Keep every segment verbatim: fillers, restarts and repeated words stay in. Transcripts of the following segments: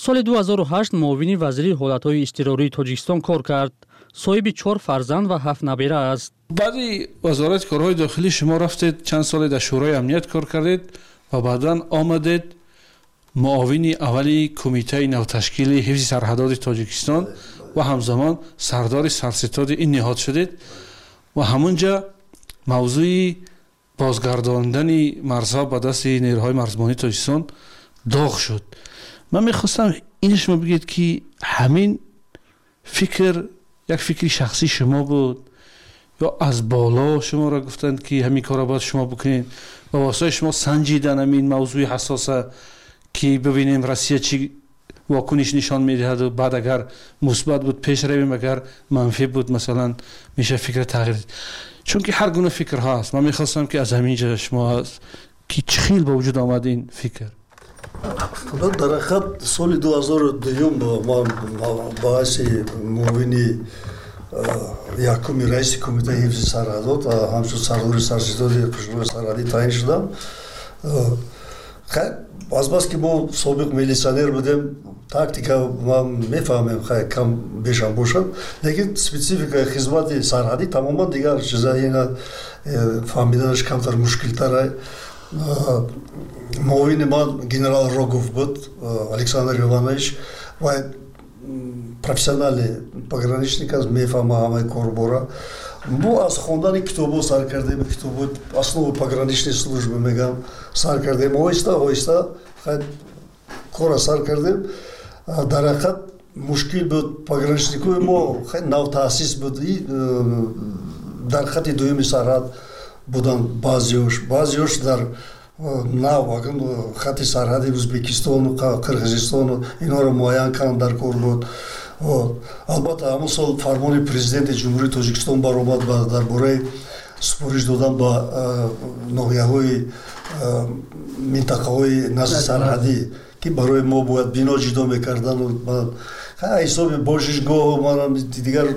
Соли ду ҳазору ҳашт муовини вазири ҳолатҳои изтирории Тоҷикистон кор кард. Соҳиби чор фарзанд ва ҳафт набера аст. Баъди Вазорати корҳои дохилӣ шумо рафтед, чанд соле дар Шӯрои амният кор кардед ва баъдан омадед муовини аввали Кумитаи навташкили ҳифзи сарҳадоти Тоҷикистон ва ҳамзамон сардори сарситоди ин ниҳод шудед ва ҳамунҷа мавзӯи бозгардондани марзҳо ба дасти нерӯҳои марзбонии Тоҷикистон доғ шуд. Ман мехостам ин шумо бигӯед, ки ҳамин фикр як фикри шахсии шумо буд ё аз боло шуморо гуфтанд, ки ҳамин корро бояд шумо бикунед ва воситаи шумо санҷидан ҳамин мавзӯи ҳассоса, ки бибинем, Россия чӣ вокуниш нишон медиҳаду баъд агар мусбат буд, пеш равем, агар манфӣ буд, масалан, меша фикра тағйир, чунки ҳар гуна фикрҳо ҳаст. Ман мехостам, ки аз ҳамин ҷо шумо ки чӣ хел ба вуҷуд омад ин фикр? Дар ҳақиқат, соли дуҳазору дуюм ман ба ҳайси муовини якуми раиси Кумитаи ҳифзи сарҳадот, ҳамчун сардори сарситоди қушунои сарҳадӣ таъин шудам. Азбаски мо собиқ милитсионер будем, тактика ман мефаҳмем, кам бешам бошад, лекин спецификаи хизмати сарҳадӣ тамоман дигар чиза, ина э, фаҳмиданаш камтар мушкилтар. Муовини ман генерал Рогов буд, Александр Иванович, ва профессиональный пограничник аст, мефаҳма ҳамаи корбора. Мо аз хондани китобҳо сар кардем, китобҳои «Основы пограничной службы» мегам, сар кардем, оҳиста оҳиста кора сар кардем. Дар ҳақиқат, мушкил буд. Пограничникҳои мо хеле навтаъсис буд, э, дар хати дуюми сарҳад буданд баъзеош, баъзеош дар э, нав хати сарҳади Ӯзбекистону Қирғизистону инҳоро муайян кардан дар кор буд. Албатта, ҳамон сол фармони Президенти Ҷумҳурии Тоҷикистон баромад дар бораи супориш додан ба э, ноҳияҳои минтақаҳои назди сарҳадӣ, ки барои мо бояд бино ҷудо мекардану ҳисоби бошишгоҳу дигар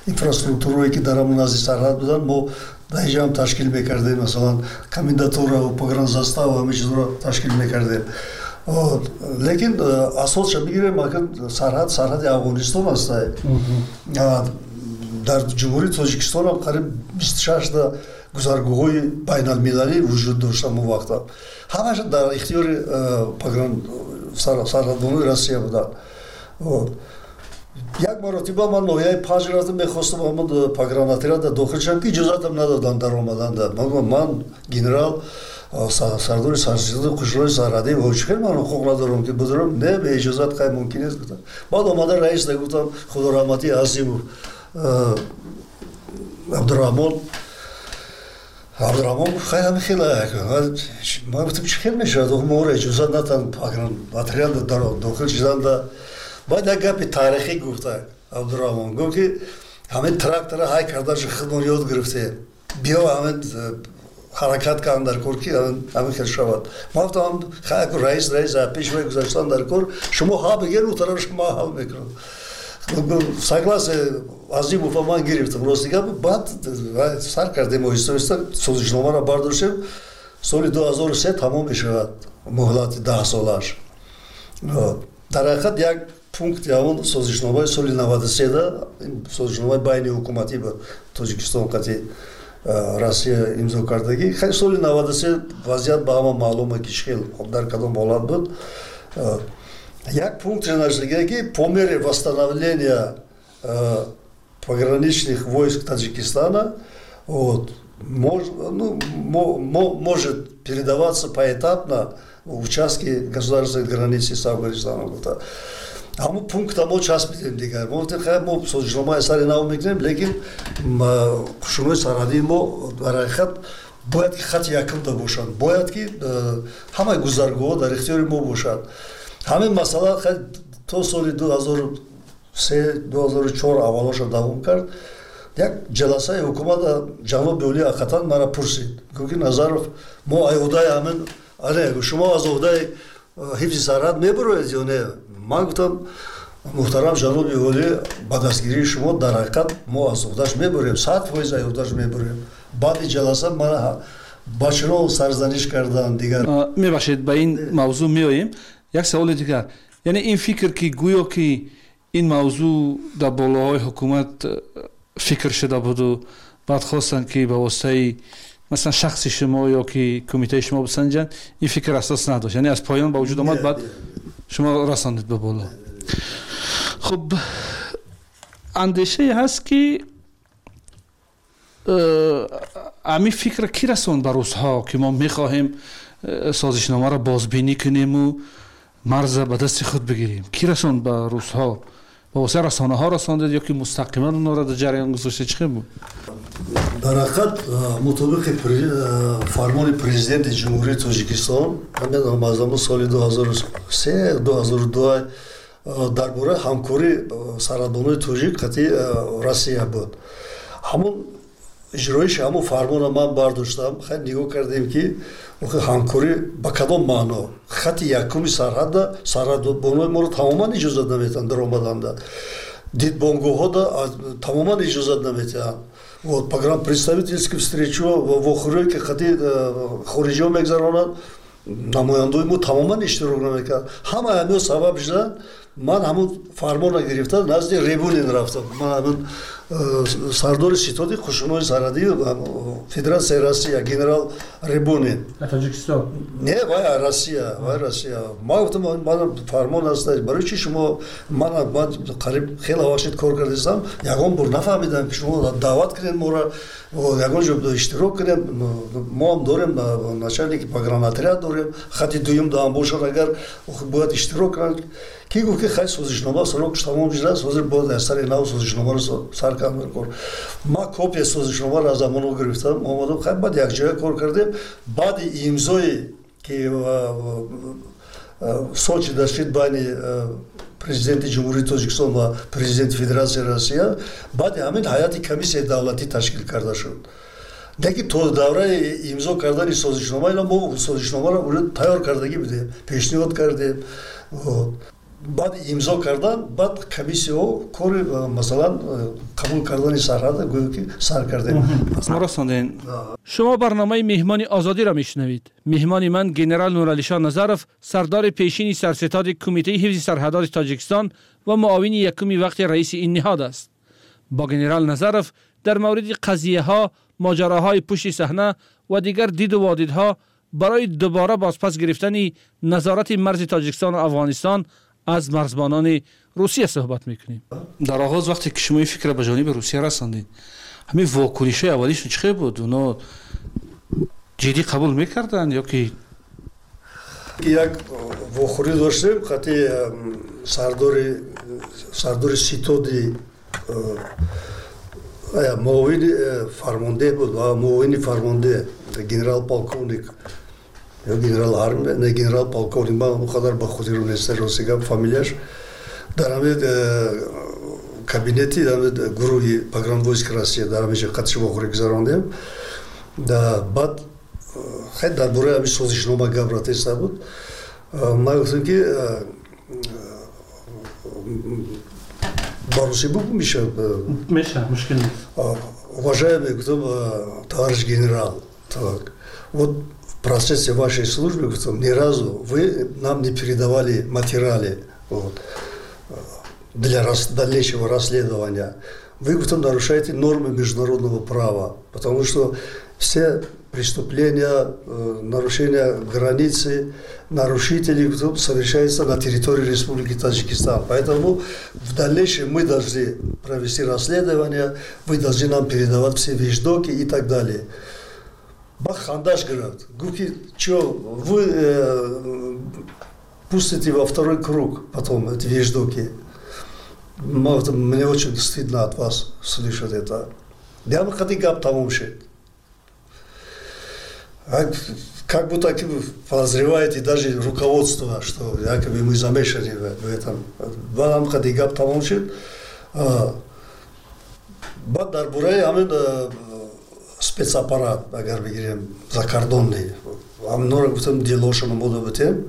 инфраструктурое, ки дар ҳамон назди сарҳад буданд, мо дар инҷа ҳам ташкил мекардем, масалан, комендатура, погранзастава, ҳамин чизро ташкил мекардем. Лекин э, асосша бигирем, сарҳад сарҳади Афғонистон аст. Дар Ҷумҳурии Тоҷикистонам қариб бисту шашта гузаргоҳҳои байналмилалӣ вуҷуд дошт. Ҳамон вақта ҳамаша дар ихтиёри э, сарҳадбонои Россия буданд. Як маротиба ман ноҳияи Панҷ рафтам, мехостам ҳамон погранотряда дохил шавам, ки иҷозатам надоданд дар омаданда. Ман генерал, сардори сарситоди қушунои сарҳадӣ, чӣ хел ман ҳуқуқ надорам, ки бидорам? Не, беиҷозат қай мумкин нест, гуфтам. Баъд омада раис гуфтам, худораҳматӣ Азимов Абдураҳмон. Абдураҳмон гуфт: «Хай, ҳами хела». Ман гуфтам: «Чӣ хел мешавад, моро иҷозат натан отряда дохил шиданда?» Баъд як гапи таърихӣ гуфта Абдураҳмон, гуфт, ки ҳамин трактора ҳай кардаша худмон ёд гирифтем, биё, ҳамин ҳаракат кардам дар кор, ки ҳамин хел шавад. Ман гуфтам: «Хай, раис раис пеш вай гузаштан дар кор, шумо ҳа бигер, у тараф шумо ҳал мекунам». Согласие Азимова ман гирифтам, рости гап. Баъд сар кардем, оҳиста оҳиста созишномаро бардоштем. Соли дуҳазору се тамом мешавад муҳлати даҳсолааш. Дар ҳақиқат, як пункти ҳамон созишномаи соли наваду седа, созишномаи байни ҳукуматӣ ба Тоҷикистон қати Россия имзо кардагӣ. Хеле соли наваду се вазъият ба ҳама маълума, ки хел дар кадом ҳолат буд. Як пункте нашдига, ки по мере восстановления пограничных войск Таджикистана, вот, мож, ну, мо, мо, может передаваться поэтапно участки государственной границы с Афганистаном. Ҳамон пункта мо часпидем дигар. Мо гуфтем: «Хай, мо созишномаи сари нав мекунем, лекин қушунои сарҳадии мо дар ҳақиқат бояд ки хати якумда бошанд, бояд ки э, ҳамаи гузаргоҳҳо дар ихтиёри мо бошад». Ҳамин масъала то соли ду ҳазору се, ду ҳазору чор аввалоша давом кард. Як ҷаласаи ҳукумата ҷаноби олӣ ҳақиқатан мара пурсид, гуфт, ки: «Назаров, мо ай ҳамин ане, шумо аз уҳдаи э, ҳифзи сарҳад мебуроед ё не?» Ман гуфтам: «Муҳтарам ҷаноби олӣ, ба дастгирии шумо дар ҳақиқат мо аз уҳдаш мебурем, сад фоиз аз уҳдаш мебурем». Баъди ҷаласа мана ба чунон сарзаниш кардан дигар. Мебахшед, ба ин мавзӯъ меоем. Як саволи дигар, яъне ин фикр ки гӯё ки ин мавзӯъ дар болоҳои ҳукумат фикр шуда буду баъд хостанд ки ба воситаи масалан шахси шумо ё ки кумитаи шумо бисанҷанд, ин фикр асос надошт, яъне аз поён ба вуҷуд омад, баъд шумо расондед ба боло. Хуб, андешае ҳаст ки ҳамин фикр ки расонд ба русҳо ки мо мехоҳем созишномаро бозбинӣ кунему марза ба дасти худ бигирем? Ки расонд ба русҳо? Ба воситаи расонаҳо расондед ё ки мустақиман онҳоро дар ҷараён гузоштед? Чӣ хел буд? Дар ҳақиқат мутобиқи фармони президенти Ҷумҳурии Тоҷикистон аз ҳамон соли ду ҳазору се ду ҳазору ду дар бораи ҳамкории сарҳадбонои тоҷик қатъи Россия буд. Ҳамон иҷроиши ҳамон фармонро ман бардоштам. Хай нигоҳ кардем ки ҳамкорӣ ба кадом маъно? Хати якуми сарҳадда сарҳадбонои моро тамоман иҷозат наметиҳанд даромаданда, дидбонгоҳҳода тамоман иҷозат наметиҳанд. Вот погранпредставительский встречу вохӯрие ки хати хориҷиҳо мегзаронанд, намояндои мо тамоман иштирок намекард. Ҳама ҳамиҳо сабаб шуданд. Ман ҳамон фармонро гирифта назди Ребунин рафтам. Ман ҳамон сардори ситоди қушунҳои сарҳадии Федератсияи Россия генерал Ребунин. Тоҷикистон? Не, вай Россия, вай Россия. Ман гуфтам ман фармон аст, барои чи шумо ман ман қариб хеле вақт кор кардистам, ягон бор нафаҳмидам ки шумо даъват кунед моро, ягон ҷо иштирок кунем. Мо ҳам дорем начальники погранотряд дорем, хати дуюм даам бошад, агар бояд иштирок кунанд. Ки гуфт ки хай созишнома срокш тамом шудааст, ҳозир бояд аз сари нав созишномаро сар кардан кор. Ман копия созишномаро аз амоно гирифтам, омадам, хай баъд якҷоя кор кардем. Баъди имзое ки Сочи дашид байни президенти Ҷумҳурии Тоҷикистон ва президенти Федератсияи Россия, баъди ҳамин ҳайати комиссияи давлатӣ ташкил карда шуд. Лекин то давраи имзо кардани созишнома ина мо созишномаро уже тайёр кардагӣ будем, пешниҳод кардем. Баъд имзо кардан, баъд комиссияҳо кори масалан қабул кардани сарҳада гӯё ки сар кардем. Мо расондем. Шумо барномаи меҳмони озодиро мешунавед. Меҳмони ман генерал Нуралишон Назаров, сардори пешини сарситоди кумитаи ҳифзи сарҳадоти Тоҷикистон ва муовини якуми вақти раиси ин ниҳод аст. Бо генерал Назаров дар мавриди қазияҳо, моҷароҳои пушти саҳна ва дигар диду водидҳо барои дубора бозпас гирифтани назорати марзи Тоҷикистон ва Афғонистон аз марзбонони Русия суҳбат мекунем. Дар оғоз вақте ки шумо ин фикрро ба ҷониби Русия расондед, ҳамин вокунишҳои аввалишон чӣ хел буд? Оно ҷиддӣ қабул мекарданд ё ки? Як вохӯрӣ доштем хати сардори сардори ситоди муовини фармондеҳ буд ва муовини фармондеҳ генерал полковник ё генерал армия, не генерал полковник, ман он қадар ба хотирам нест рости гап фамилияш. Дар ҳамин кабинети ҳамин гурӯҳи погранвойск Россия дар ҳамин ҷо қатши вохӯрӣ гузарондем. Баъд хай дар бораи ҳамин созишнома гап рафтаиста буд. Ман гуфтам ки ба русӣ бугӯ меша? Меша, мушкил нест. Уважаемый, гуфтам, товарищ генерал, так вот в процессе вашей службы, гуфтам, ни разу вы нам не передавали материалы, вот, для рас, дальнейшего расследования. Вы, гуфтам, нарушаете нормы международного права, потому что все преступления, нарушения границы, нарушители совершаются на территории Республики Таджикистан. Поэтому в дальнейшем мы должны провести расследование, вы должны нам передавать все вещдоки и так далее. Бахандаш говорит, гуфти, что вы э, пустите во второй круг потом эти вещдоки. Мне очень стыдно от вас слышать это. Я бы хотел гап тамом шед. Как будто подозреваете даже руководство, что якобы мы замешаны в этом. Баъд қади гап тамом шуд. Баъд дар бораи ҳамин спецаппарат, агар бигирем, закордонный, ҳаминҳоро гуфтам, делошоно мо добутем,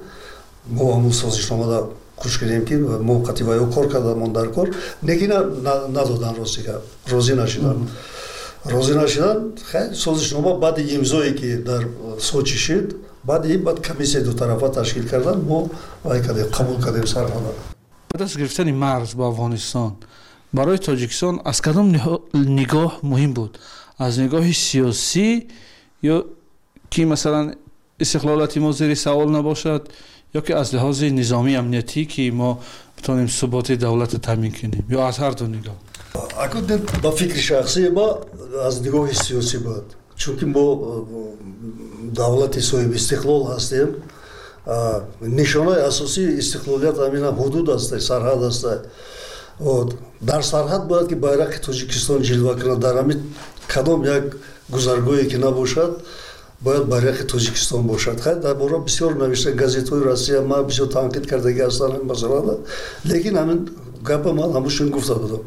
мо ҳамун созишномада хуш кардем ки мо қати ваё кор кардамон дар кор, лекин надодан рости гап, розӣ нашуданд. Розӣ нашуданд. Хай созишнома баъди имзое ки дар Сочи шуд, Баъд ин баъд комиссияи дутарафа ташкил кардан, мо вай кардем, қабул кардем сарҳада. Ба даст гирифтани марз бо Афғонистон барои Тоҷикистон аз кадом нигоҳ муҳим буд? Аз нигоҳи сиёсӣ ё ки масалан истиқлолияти мо зери савол набошад, ё ки аз лиҳози низомии амниятӣ ки мо битонем суботи давлатро таъмин кунем, ё аз ҳар ду нигоҳ? Акун ба фикри шахсии ма аз нигоҳи сиёсӣ буд, чунки мо давлати соҳиби истиқлол ҳастем. Нишонаи асосии истиқлолият ҳаминам ҳудуд аст, сарҳад аст. Дар сарҳад бояд ки байрақи Тоҷикистон ҷилва кунад. Дар ҳамин кадом як гузаргоҳе ки набошад, бояд байрақи Тоҷикистон бошад. Хайр, дар бора бисёр навишта газетҳои Россия, ман бисёр танқид кардагӣ ҳастам ҳамин масъалада, лекин ҳамин гапа ман ҳамушон гуфта будам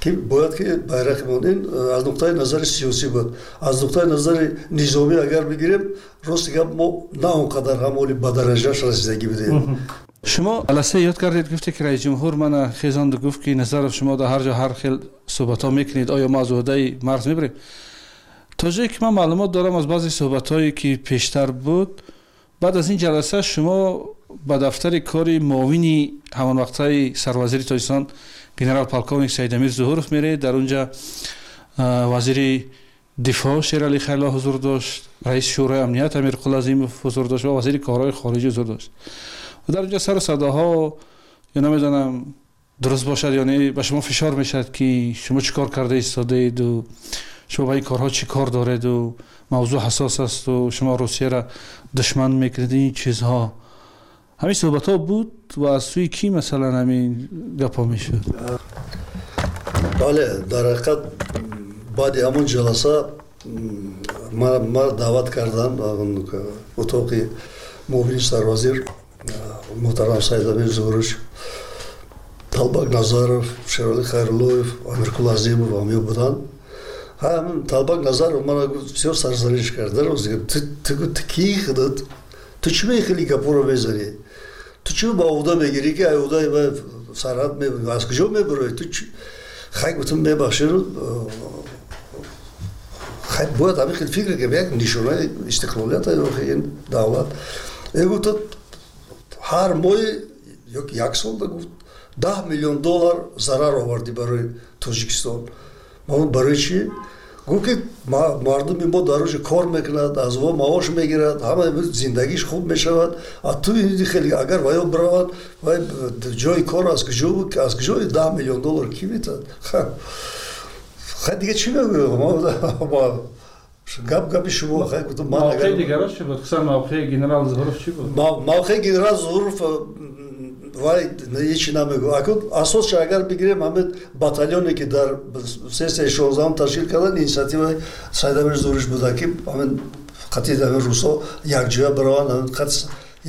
ки бояд ки байрақи мон ин аз нуқтаи назари сиёсӣ буд. Аз нуқтаи назари низомӣ агар бигирем, рости гап мо на он қадар ҳам оли ба дараҷааш расидагӣ будем. Шумо ҷаласа ёд кардед, гуфте ки раис ҷумҳур мана хезонду гуфт ки Назаров, шумо дар ҳар ҷо ҳар хел суҳбатҳо мекунед, оё мо аз уҳдаи марз мебарем? То ҷое ки ман маълумот дорам аз баъзе суҳбатҳое ки пештар буд, баъд аз ин ҷаласа шумо ба дафтари кори муовини ҳамон вақтаи сарвазири Тоҷикистон генерал полковник Саидамир Зуҳуров меред. Дар унҷа вазири дифоъ Шерали Хайрулло ҳузур дошт, раиси Шӯрои амният Амирқул Азимов ҳузур дошт ва вазири корҳои хориҷӣ ҳузур дошт. Ва дар унҷа сару садоҳо, ё намедонам дуруст бошад ё не, ба шумо фишор мешавад ки шумо чӣ кор карда истодаеду, шумо ба ин корҳо чӣ кор дореду, мавзӯъ ҳассос асту, шумо Русияро душман мекунед, ин чизҳо. Ҳамин суҳбатҳо буд ва аз сӯи кӣ масалан ҳамин гапҳо мешуд? Бале, дар ҳақиқат баъди ҳамон ҷаласа ма даъват карданд утоқи муовини сарвазир муҳтарам Саидамир Зуҳурович, Талбак Назаров, Шерали Хайруллоев, Амирқул Азимов ҳамё буданд. Ҳамин Талбак Назаров мана бисёр сарзаниш кард. Ту кӣ худат? Ту чӣ мехели гапҳоро мезанӣ? Ту чӣ ба уҳда мегирӣ ки уҳдаи сарҳад аз куҷо мебароӣ? Ту хай гуфтам, мебахшед, хай бояд ҳамин хел фикр кунем, як нишонаи истиқлолият ин давлат. Э гуфт, ҳар моҳи ё як солда гуфт даҳ миллион доллар зарар овардӣ барои Тоҷикистон. Ман барои чӣ? Гуфт ки мардуми мо дар рӯзи кор мекунад, аз во маош мегирад, ҳама зиндагиш хуб мешавад. А ту хеле агар ваё биравад, вай ҷои кор аз куҷо аз куҷо даҳ миллион доллар кӣ метад? Хай дига чӣ мегӯям? Гап гапи шумо. Хай гуфтам ман мавқеи дигараш чӣ буд? Хусусан мавқеи генерал Зуҳуров чӣ буд? Мавқеи генерал Зуҳуров вай ҳечи намегӯ. Акун асосша агар бигирем, ҳамин батальоне ки дар сессияи шонздаҳум ташкил кардан, инициативаи Саидамир Зуҳурович буда ки ҳамин қатъи ҳамин русҳо якҷоя бираванд, ҳамин қат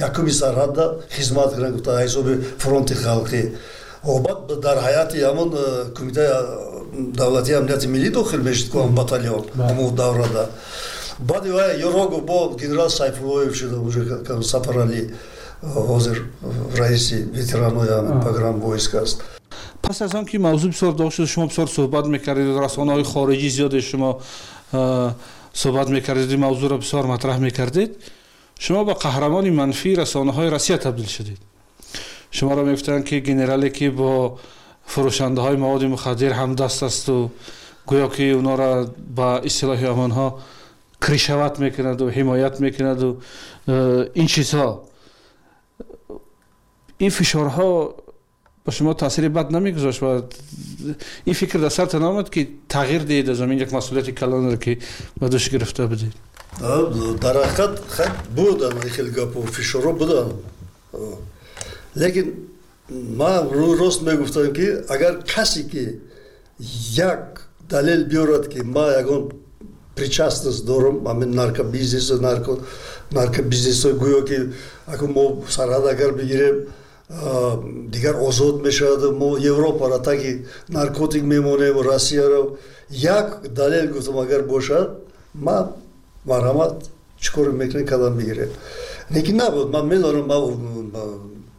якуми сарҳадда хизмат кунанд, гуфта ҳисоби фронти халқӣ. Баъд дар ҳайати ҳамон кумитаи давлатии амнияти миллӣ дохил мешуд ку ҳам батальон ҳамон даврада. Баъди вай Юрогов бо генерал Сайфуллоев шуда, уже Сафаралӣ ҳозир раиси ветеранои погранвойск аст. Пас аз он ки мавзӯъ бисёр доғ шуд, шумо бисёр суҳбат мекардед, расонаҳои хориҷӣ зиёде шумо суҳбат мекардед, ин мавзӯъро бисёр матраҳ мекардед, шумо ба қаҳрамони манфии расонаҳои Россия табдил шудед. Шуморо мегуфтанд ки генерале ки бо фурӯшандаҳои маводи мухаддир ҳамдаст асту, гӯё ки онҳоро ба истилоҳи ҳамонҳо кришават мекунаду ҳимоят мекунаду ин чизҳо. Ин фишорҳо ба шумо таъсири бад намегузошт ва ин фикр дар сартон омад ки тағйир диҳед аз ҳамин як масъулияти калонро ки ба дӯш гирифта будед? Дар ҳақиқат хай буданд ин хел гапу фишорҳо буданд, лекин ман рӯи рост мегуфтам ки агар касе ки як далел биёрад ки ман ягон причастность дорам ҳамин наркобизнес, нарко наркобизнесҳои гӯё ки акун мо сарҳад агар бигирем дигар озод мешавад, мо Европаро таги наркотик мемонем, Россияро, як далел гуфтам агар бошад, ман марҳамат, чӣ коре мекунем кадам бигирем. Лекин набуд. Ман медонам, ман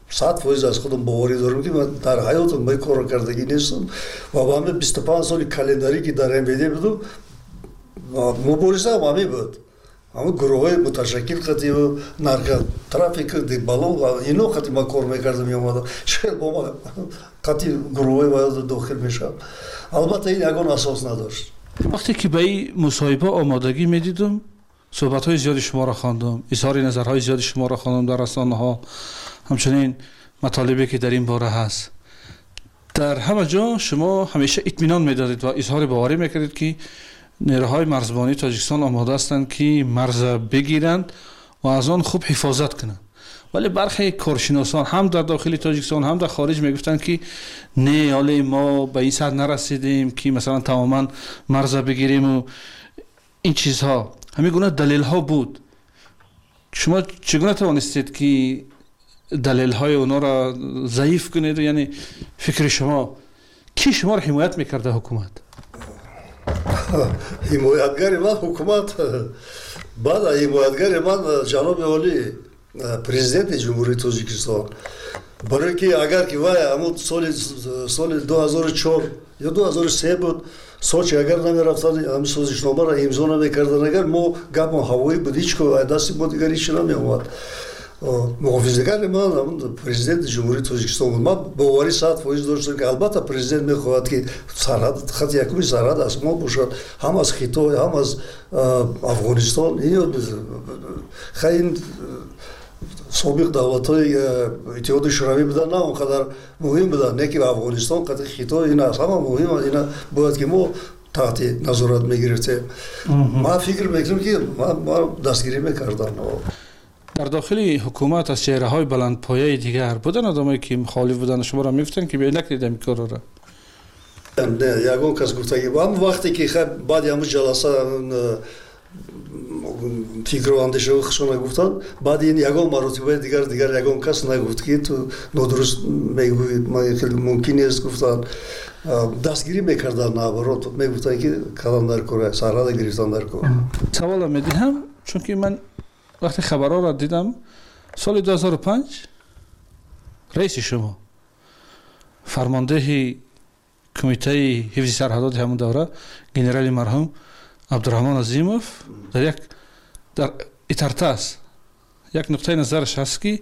сад фоиз аз худам боварӣ дорам ки ман дар ҳаётам ба ин корро кардагӣ нестам ва ба ҳамин бисту панҷ соли календарӣ ки дар М В Д будам, муборизаам ҳамин буд. Ҳамон гурӯҳҳои муташаккил қатӣ наркотрафик бало ино қатӣ ман кор мекардам, меомадам. Чӣ бо ма қатӣ гурӯҳҳои ваёда дохил мешавам. Албатта ин ягон асос надошт. Вақте ки ба ин мусоҳиба омодагӣ медидам, суҳбатҳои зиёди шуморо хондам, изҳори назарҳои зиёди шуморо хондам дар расонаҳо, ҳамчунин матолибе ки дар ин бора ҳаст. Дар ҳама ҷо шумо ҳамеша итминон медодед ва изҳори боварӣ мекардед, ки нерӯҳои марзбонии Тоҷикистон омода ҳастанд, ки марза бигиранд ва аз он хуб ҳифозат кунанд. Вале бархе коршиносон ҳам дар дохили Тоҷикистон, ҳам дар хориҷ мегуфтанд, ки не, ҳоле мо ба ин сатҳ нарасидем, ки масалан тамоман марза бигирем ва ин чизҳо. Ҳамин гуна далелҳо буд. Шумо чӣ гуна тавонистед, ки далелҳои онҳоро заиф кунед? Яъне фикри шумо, ки шуморо ҳимоят мекарда ҳукумат? Ҳимоятгари ман ҳукумат, баъд ҳимоятгари ман ҷаноби олӣ президенти Ҷумҳурии Тоҷикистон. Барои ки агар ки вай ҳамун соли соли ду ҳазору чор ё ду ҳазору се буд, Сочи агар намерафтанд, ҳамин созишномаро имзо намекарданд, агар мо гапмон ҳавоӣ буд, ҳеҷ ко дасти мо дигар ҳеҷ намеомад. Муҳофизагари ман ҳамун президенти Ҷумҳурии Тоҷикистон буд. Ман боварӣ сад фоиз доштам, ки албатта президент мехоҳад, ки сарҳад, хати якуми сарҳад аз мо бошад, ҳам аз Хитой, ҳам аз Афғонистон. Хай ин собиқ давлатҳои Иттиҳоди Шӯравӣ буданд, на он қадар муҳим буданд, не ки Афғонистон қати Хитой ин аз ҳама муҳим, ина бояд ки мо таҳти назорат мегирифтем. Ман фикр мекунам, ки ман дастгирӣ мекардам. Дар дохили ҳукумат аз чеҳраҳои баландпояи дигар буданд одамое ки мухолиф буданд, шуморо мегуфтанд, ки биёед накунед ҳамин корро? Не, ягон кас гуфтагӣ. Ҳам вақте ки баъди ҳамун ҷаласа фикру андешаҳои худшона гуфтанд, баъди ин ягон маротибаи дигар дигар ягон кас нагуфт, ки ту нодуруст мегӯӣ, хеле мумкин нест гуфтанд. Дастгирӣ мекарданд, наоборот мегуфтанд, ки калон дар кор, сарҳада гирифтан дар кор. Саволам медиҳам, чунки ман вақте хабарҳоро дидам, соли ду ҳазору панҷ раиси шумо, фармондеҳи кумитаи ҳифзи сарҳадоти ҳамон давра, генерали марҳум Абдураҳмон Азимов, дар як дар Итартас як нуқтаи назараш ҳаст, ки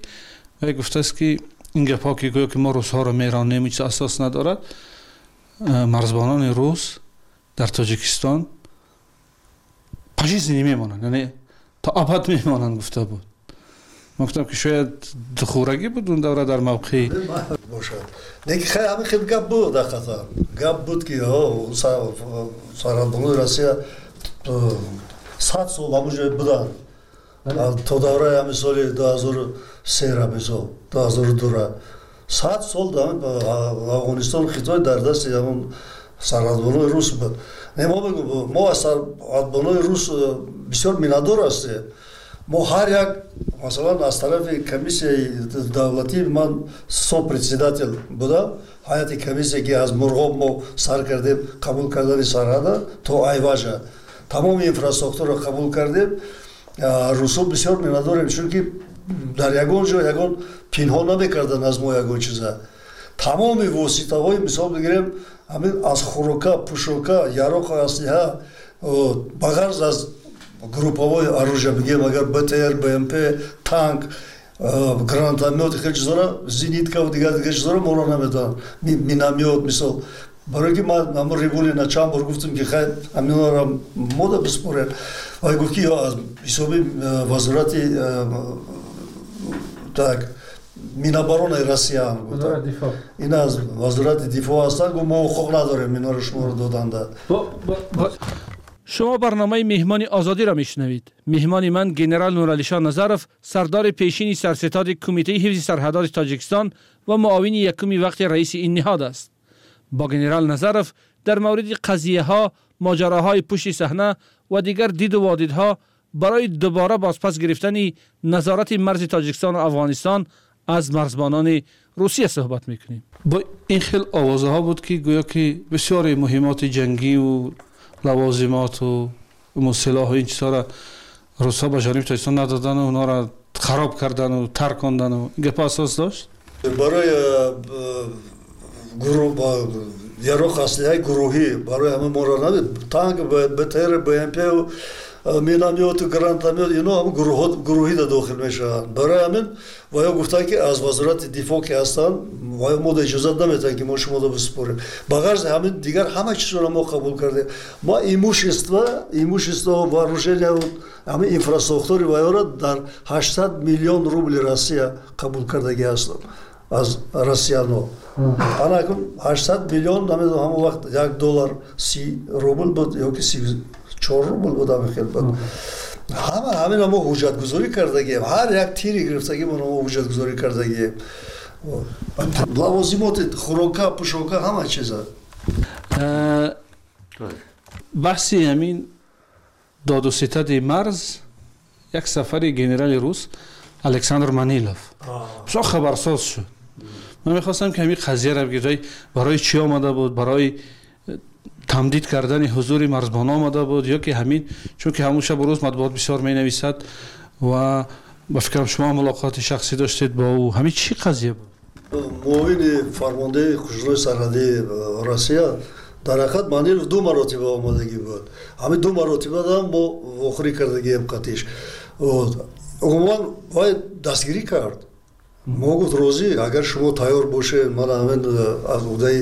вай гуфтааст, ки ин гапҳо, ки гӯё ки мо русҳоро меронем, ҳеҷ асос надорад. Марзбонони рус дар Тоҷикистон пожизненно мемонанд, яъне то абад мемонанд, гуфта буд. Ман гуфтам, ки шояд духӯрагӣ буд он давра дар мавқеи бошад. Лекин хай ҳамин хел гап буд, ҳақиқатан гап буд, ки сарҳадбонони Россия сад сол ҳамон ҷой буданд то давраи ҳамин соли ду ҳазору сера, мисол ду ҳазору дура сад сол Афғонистон, Хитой дар дасти ҳамон сарҳадбонои рус буд. Не, мо мегӯем, мо аз сарҳадбонои рус бисёр миннатдор ҳастем. Мо ҳар як, масалан, аз тарафи комиссияи давлатӣ ман сопредседател будам, ҳайати комиссия, ки аз Мурғоб мо сар кардем қабул кардани сарҳада то Айважа, тамоми инфраструктурро қабул кардем. Русҳо бисёр миннатдорем, чунки дар ягон ҷо ягон пинҳон намекарданд аз мо ягон чиза. Тамоми воситаҳои, мисол бигирем, ҳамин аз хӯрока, пӯшока, яроқу аслиҳа, ба ғарз аз групповое оружие бигем, агар Б Т Р, Б М П, танк, гранатомёт, хеле чизҳоро, зениткаву дигар дигар чизҳоро моро намедонанд, миномёт мисол. Барои ки ман ҳамон Рибулина чанд бор гуфтам, ки хай ҳаминҳоро мода биспорем, вай гуфт, ки аз ҳисоби вазорати так Миноборонаи Россия, ин аз вазорати дифоъ ҳастанд, гуфт, мо ҳуқуқ надорем инҳоро шуморо доданда. Шумо барномаи меҳмони озодиро мешунавед. Меҳмони ман генерал Нуралишон Назаров, сардори пешини сарситоди кумитаи ҳифзи сарҳадоти Тоҷикистон ва муовини якуми вақти раиси ин ниҳод аст. Бо генерал Назаров дар мавриди қазияҳо, моҷароҳои пушти саҳна ва дигар диду водидҳо барои дубора бозпас гирифтани назорати марзи Тоҷикистону Афғонистон аз марзбонони Русия суҳбат мекунем. Бо ин хел овозаҳо буд, ки гӯё ки бисёре муҳиммоти ҷангиву лавозимоту силоҳу ин чизҳоро русҳо ба ҷониби Тоҷикистон надодану онҳоро хароб кардану таркондану ин гапҳо асос дошт? Барои яроқ аслиҳаи гурӯҳӣ барои ҳама моро танк, Б Т Р, Б М П, Миномёту гранатомёт, ино ҳам гурӯҳӣ да дохил мешаванд. Барои ҳамин ваё гуфтанд, ки аз вазорати дифоъ ки ҳастанд, ваё мода иҷозат наметиҳанд, ки мо шуморо бисупорем. Ба ғарзи ҳамин дигар ҳама чизро мо қабул кардем. Мо имущество, имущество, вооружение, ҳамин инфраструктури ваёро дар ҳаштсад миллион рубли Россия қабул кардагӣ ҳастам аз россияно. Ана акун ҳаштсад миллион, намедонам, ҳамон вақт як доллар си рубл буд ё ки си чор рубл буд, ҳамин хел буд. Ҳама ҳамина мо ҳуҷҷатгузорӣ кардагием, ҳар як тири гирифтагимоно мо ҳуҷҷатгузорӣ кардагием, лавозимоти, хӯрока, пӯшока, ҳама чиза. Баҳси ҳамин доду ситади марз, як сафари генерали рус Александр Манилов бисёр хабарсоз шуд. Ман мехостам, ки ҳамин қазияро бигӯед: барои чӣ омада буд? Барои тамдид кардани ҳузури марзбон омада буд ё ки ҳамин, чунки ҳамун шабу рӯз матбуот бисёр менависад ва ба фикрам, шумо мулоқоти шахсӣ доштед бо ӯ. Ҳамин чӣ қазия буд? Муовини фармондеҳи қушунҳои сарҳадии Россия дар ҳақиқат Манилов ду маротиба омадагӣ буд. Ҳамин ду маротибаам мо вохӯрӣ кардагием қатиш. Умуман вай дастгирӣ кард. Мо гуфт, розӣ, агар шумо тайёр бошед, мана ҳамин аз уҳдаи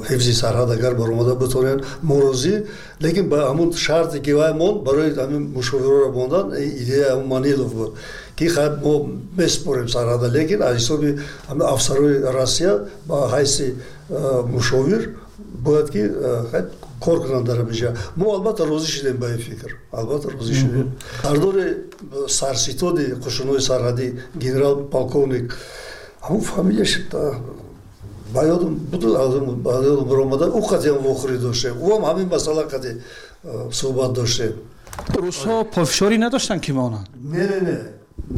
ҳифзи сарҳад агар баромада битонед, мо розӣ, лекин ба ҳамун шарте ки вай монд барои ҳамин мушовироро мондан. Идея ҳамун Манилов буд, ки хайр, мо месупорем сарҳада, лекин аз ҳисоби ҳамин афсарои Россия ба ҳайси мушовир бояд ки кор кунанд дар ҳаминҷа. Мо албатта розӣ шудем ба ин фикр, албатта розӣ шудем. Сардори сарситоди қушунҳои сарҳадӣ генерал полковник, ҳамун фамилияш ба ёдам буд, ба ёдам баромада, ӯ қатъиан вохӯрӣ доштем, ӯ ҳам ҳамин масъала қатъи суҳбат доштем. Русҳо пофишорӣ надоштанд, ки монанд? Не, не, не,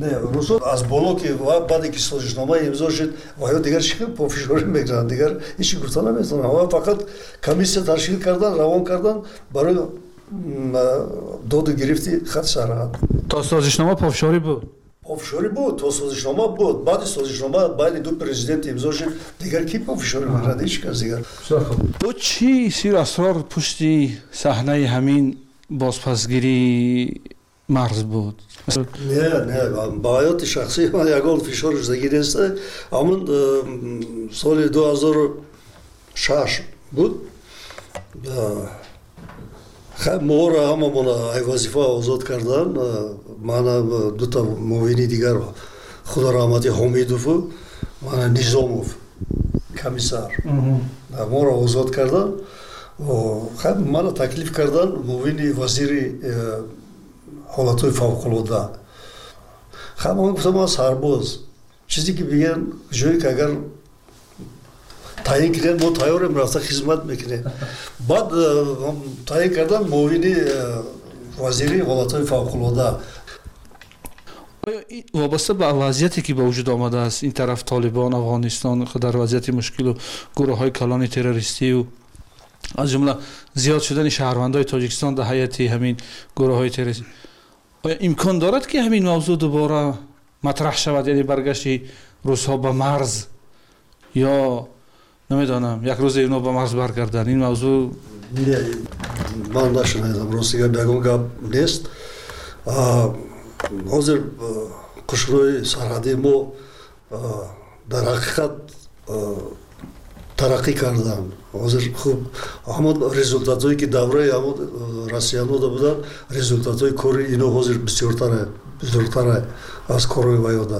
не, русҳо аз боло ки баъде ки созишнома имзо шуд, ва ё дигар чӣ пофишорӣ мекунанд? Дигар ҳеҷ гуфта наметавонам. Ва фақат комиссия ташкил кардан, равон кардан барои доду гирифти хат сарҳад. То созишнома пофишорӣ буд? Пофишорӣ буд, то созишнома буд. Баъди созишнома байни ду президент имзо шуд, дигар ки пофишорӣ мекунад? Ҳеҷ кас дигар. Бо чӣ сиру асрор пушти саҳнаи ҳамин бозпасгирии марз буд? Не, не, ба ҳаёти шахсии ман ягон фишор шудагӣ нест. Ҳамун соли ду ҳазору шаш буд, моро ҳамамона ай вазифа озод кардан, мана дута муовини дигар, худо раҳмати Ҳомидову мана Низомов комиссар, моро озод кардан. Мана таклиф кардан муовини вазири ҳолатҳои фавқулода. Хай, ман гуфтам, ман сарбоз, чизе ки бигӯян, ҷое ки агар таъин кунед, мо тайёрем, рафта хизмат мекунем. Баъд таъин кардан муовини вазири ҳолатҳои фавқулода. Вобаста ба вазъияте ки ба вуҷуд омадааст, ин тараф Толибон, Афғонистон дар вазъияти мушкилу гурӯҳҳои калони террористию, аз ҷумла зиёд шудани шаҳрвандои Тоҷикистон дар ҳайати ҳамин гурӯҳҳои террористӣ, оё имкон дорад, ки ҳамин мавзӯъ дубора матраҳ шавад, яъне баргашти русҳо ба марз ё намедонам, як рӯзе ино ба марз баргарданд, ин мавзӯъ? Ман нашунидам, рости гап, ягон гап нест. Ҳозир қушунҳои сарҳадии мо дар ҳақиқат тараққӣ карданд. Ҳозир хуб, ҳамон результатҳое ки давраи ҳамон россиянода буданд, результатҳои кори ино ҳозир бисёртара, бисёртара аз корҳои ваёда.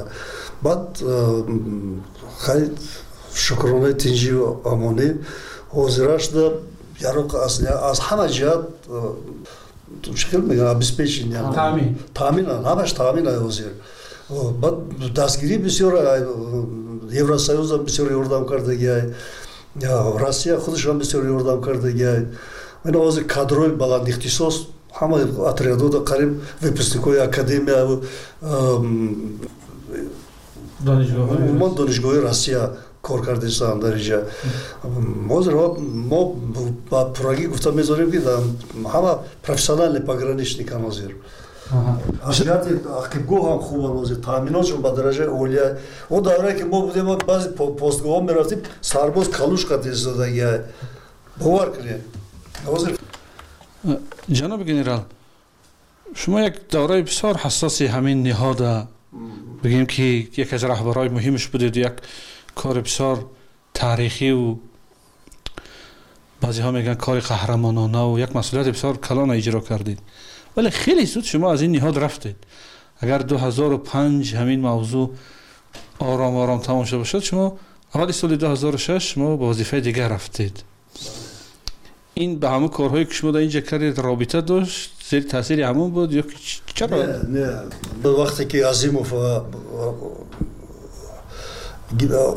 Баъд хай, шукронаи тинҷию амонӣ, ҳозирашда яроқ аз ҳама ҷиҳат, чӣ хел мегӯям, обеспечение, таъминанд, ҳамаш таъмин ҳозир. Баъд дастгирӣ бисёр, Евросоюзам бисёр ёрдам кардагиай, Россия худашам бисёр ёрдам кардагиай. Ина ҳозир кадрҳои баландихтисос, ҳама отрядода қариб выпускникҳои академия, умуман донишгоҳи Россия кор кардастанд дар инҷа. Ҳозир мо ба пуррагӣ гуфта мезорем, ки ҳама профессиональный пограничникан ҳозир. Аз ҷиҳати ақибгоҳ ҳам хубанд ҳозир, таъминотшон ба дараҷаи олия. Он даврае ки мо будем, баъзе постгоҳҳо мерафтем, сарбоз калуш қад истодагиай, бовар кунед, ҳозир. Ҷаноби генерал, Шумо як давраи бисёр ҳассоси ҳамин ниҳода бигем ки яке аз раҳбарои муҳимаш будед, як кори бисёр таърихиву баъзеҳо мегӯянд кори қаҳрамононаву як масъулияти бисёр калона иҷро кардед, вале хеле зуд шумо аз ин ниҳод рафтед. Агар ду ҳазору панҷ ҳамин мавзӯъ ором ором тамом шуда бошад, шумо аввали соли ду ҳазору шаш шумо ба вазифаи дигар рафтед. Ин ба ҳамон корҳое ки шумо дар инҷа кардед робита дошт? Зери таъсири ҳамон буд ё чаро? Не, вақте ки Азимов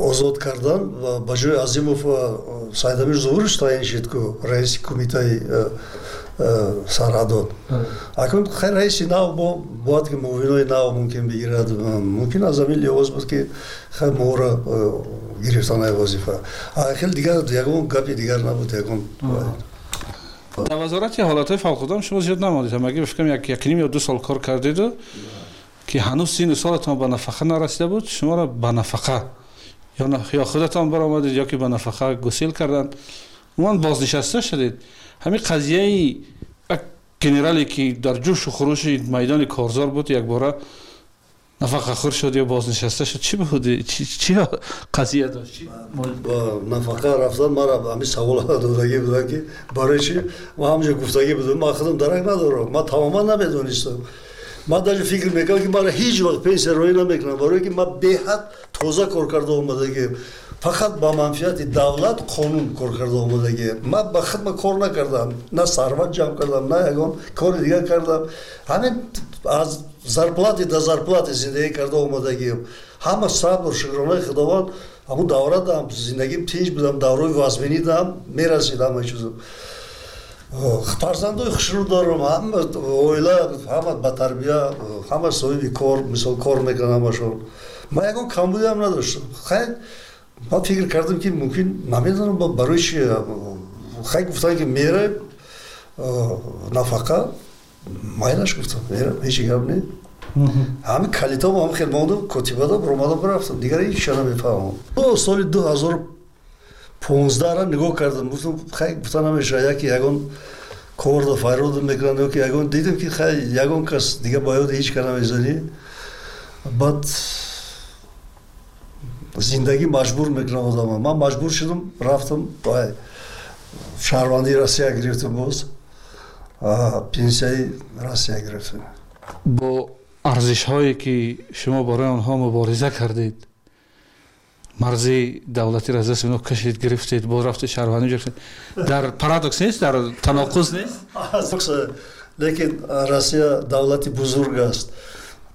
озод кардан, ба ҷои Азимов Сайдамир Зуҳурович таъин шуд ку раиси кумитаи сарҳадот. Акнун хай раиси нав бояд ки муовинои нав мумкин бигирад, мумкин аз ҳамин лиҳоз буд ки хай моро гирифтанаи вазифа. Хеле дигар ягон гапи дигар набуд, ягон. Дар вазорати ҳолатҳои фавқулода шумо зиёд намондед, ҳамагӣ ба фикрам як якним ё ду сол кор кардеду ки ҳанӯз сину солатон ба нафақа нарасида буд, шуморо ба нафақа ё худатон баромадед ё ки ба нафақа гусел карданд, умуман бознишаста шудед. Ҳамин қазияи як генерале ки дар ҷӯшу хурӯши майдони корзор буд, якбора нафақахӯр шуд ё бознишаста шуд, чӣ буд? Чӣ қазия дошт? Ба нафақа рафтан мара ҳамин савол додагӣ будам ки барои чӣ ман ҳамҷо гуфтагӣ будам, ман худам дарак надорам, ман тамоман намедонистам. Ман даже фикр мекардам ки мара ҳеҷ вақт пенсия роӣ намекунам, барое ки ман беҳад тоза кор карда омадагиам, фақат ба манфиати давлат қонун кор карда омадагиам. Ман ба хидмат кор накардам, на сарват ҷамъ кардам, на ягон кори дигар кардам. Ҳамин аз зарплати до зарплати зиндагӣ карда омадагиам. Ҳама сабр, шукронаи Худованд, ҳамун давра дам зиндагим тинҷ будам, давраи вазминӣ дам мерасид ҳама чизо. Фарзандои хушрӯ дорам, ҳама оила, ҳама ба тарбия, ҳама соҳиби кор, мисол кор мекунанд ҳамашон. Ман ягон камбудиам надоштам. Хай ман фикр кардам ки мумкин намедонам барои чи. Хай гуфтанд ки мераем нафақа, майлаш гуфтам, мерам, ҳеҷ гап не. Ҳамин калитом ҳам хел мондам, котибада баромадам рафтам, дигар ҳеҷ чиз намефаҳмам. Соли ду ҳазору понздаҳра нигоҳ кардам, гуфтам хай гуфта намешавад, яке ягон корда файрод мекунанд ё ки ягон, дидам ки хай ягон кас дига ба ёди ҳеҷ кас намезанӣ. Баъд зиндагӣ маҷбур мекунад одама. Ман маҷбур шудам, рафтам шаҳрвандии Россия гирифтам, боз пенсияи Россия гирифтам. Бо арзишҳое ки шумо барои онҳо мубориза кардед, марзи давлатиро аз дасти онҳо кашид, гирифтед, боз рафтед шаҳрвандӣ гирифтед, дар парадокс нест, дар таноқуз нест? Лекин Россия давлати бузург аст.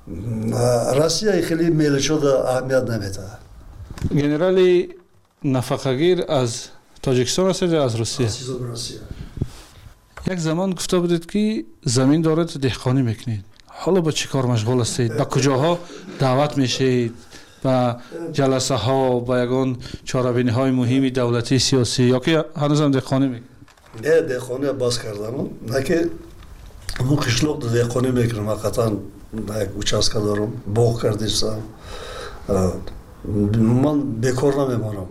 Россия хеле мелочода аҳамият намедиҳад. Генерали нафақагир аз Тоҷикистон ҳастед ё аз Русия? Аз Россия. Як замон гуфта будед ки замин доред, деҳқонӣ мекунед. Ҳоло ба чӣ кор машғул ҳастед? Ба куҷоҳо даъват мешавед? Ба ҷаласаҳо, ба ягон чорабиниҳои муҳими давлатӣ, сиёсӣ ё ки ҳанӯзам деҳқонӣ мекунед? Не, деҳқонӣ бас кардам. На ки мо қишлоқ деҳқонӣ мекунам, ҳақиқатан як участка дорам, боғ кардистам. Ман бекор намемонам.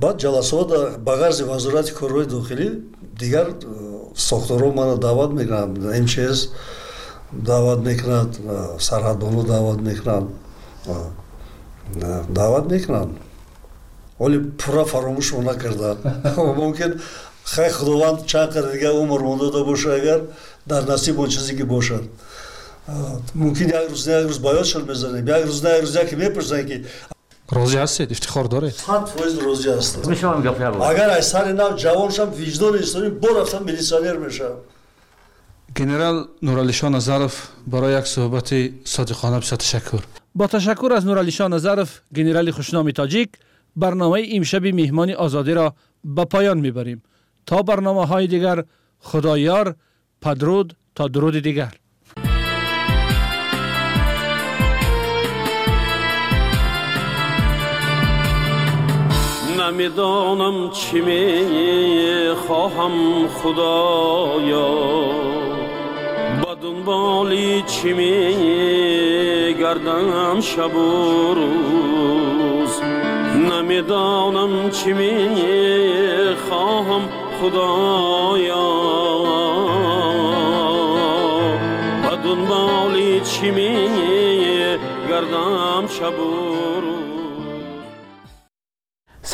Баъд ҷаласаҳо ба ғарзи вазорати корҳои дохилӣ дигар сохторҳо маро даъват мекунанд, эм че эс даъват мекунад, сарҳадбоно даъват мекунанд, даъват мекунанд. Вале пурра фаромӯшро накардам. Мумкин хай Худованд чанд қадр дигар умр монда бошад, агар дар насиб он чизе ки бошад. Мумкин як рӯз на як рӯз ба ёдшон мезанем, як рӯз на як рӯз яке мепурсанд ки розӣ ҳастед, ифтихор доред? Сад фоиз розӣ ҳастам. Мешавам гап як бор. Агар аз сари нав ҷавон шам, виҷдони инсонӣ бо рафтам милитсионер мешавам. Генерал Нуралишо Назаров барои як суҳбати содиқона бисёр ташаккур. Бо ташаккур аз Нуралишо Назаров, генерали хушноми тоҷик, барномаи имшаби меҳмони озодиро ба поён мебарем. То барномаҳои дигар, худоёр, падруд, то дуруди дигар. نمیدانم چی میخواهم خدایا، با دنبالی چی میگردم شب و روز. نمیدانم چی میخواهم خدایا، با Дунболи чӣ мегардам шабу рӯз.